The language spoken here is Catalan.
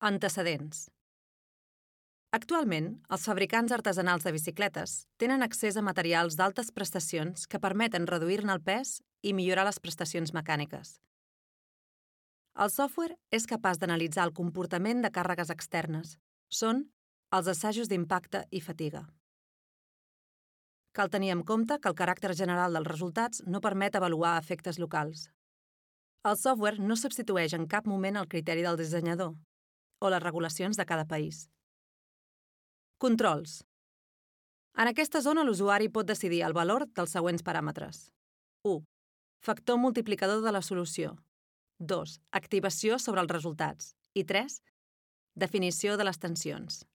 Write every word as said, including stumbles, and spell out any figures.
Antecedents. Actualment, els fabricants artesanals de bicicletes tenen accés a materials d'altes prestacions que permeten reduir-ne el pes i millorar les prestacions mecàniques. El software és capaç d'analitzar el comportament de càrregues externes. Són els assajos d'impacte i fatiga. Cal tenir en compte que el caràcter general dels resultats no permet avaluar efectes locals. El software no substitueix en cap moment el criteri del dissenyador o les regulacions de cada país. Controls. En aquesta zona l'usuari pot decidir el valor dels següents paràmetres. u. Factor multiplicador de la solució. dos. Activació sobre els resultats. I tres. Definició de les tensions.